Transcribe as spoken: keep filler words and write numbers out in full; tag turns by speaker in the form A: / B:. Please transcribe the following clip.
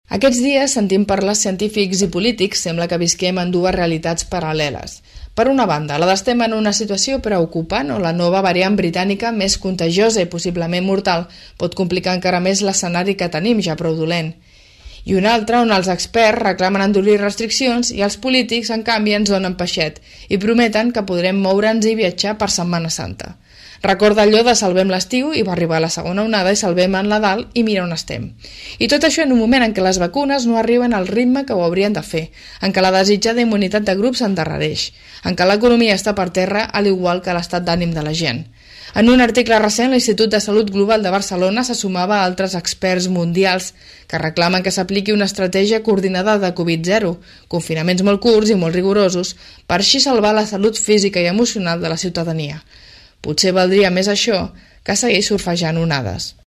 A: Aquests dies sentim parlar científics i polítics, sembla que visquem en dues realitats paral·leles. Per una banda, la d'estem en una situació preocupant on la nova variant britànica, més contagiosa i possiblement mortal, pot complicar encara més l'escenari que tenim ja prou dolent. I una altra on els experts reclamen endurir restriccions i els polítics, en canvi, ens donen peixet i prometen que podrem moure'ns i viatjar per Setmana Santa. Recorda allò de salvem l'estiu i va arribar la segona onada i salvem en Nadal i mira on estem. I tot això en un moment en què les vacunes no arriben al ritme que ho haurien de fer, en què la desitjada immunitat de grup s'endarrereix, en què l'economia està per terra al igual que l'estat d'ànim de la gent. En un article recent, l'Institut de Salut Global de Barcelona se sumava a altres experts mundials que reclamen que s'apliqui una estratègia coordinada de Covid zero, confinaments molt curts i molt rigorosos, per així salvar la salut física i emocional de la ciutadania. Potser valdria més això que seguir surfejant onades.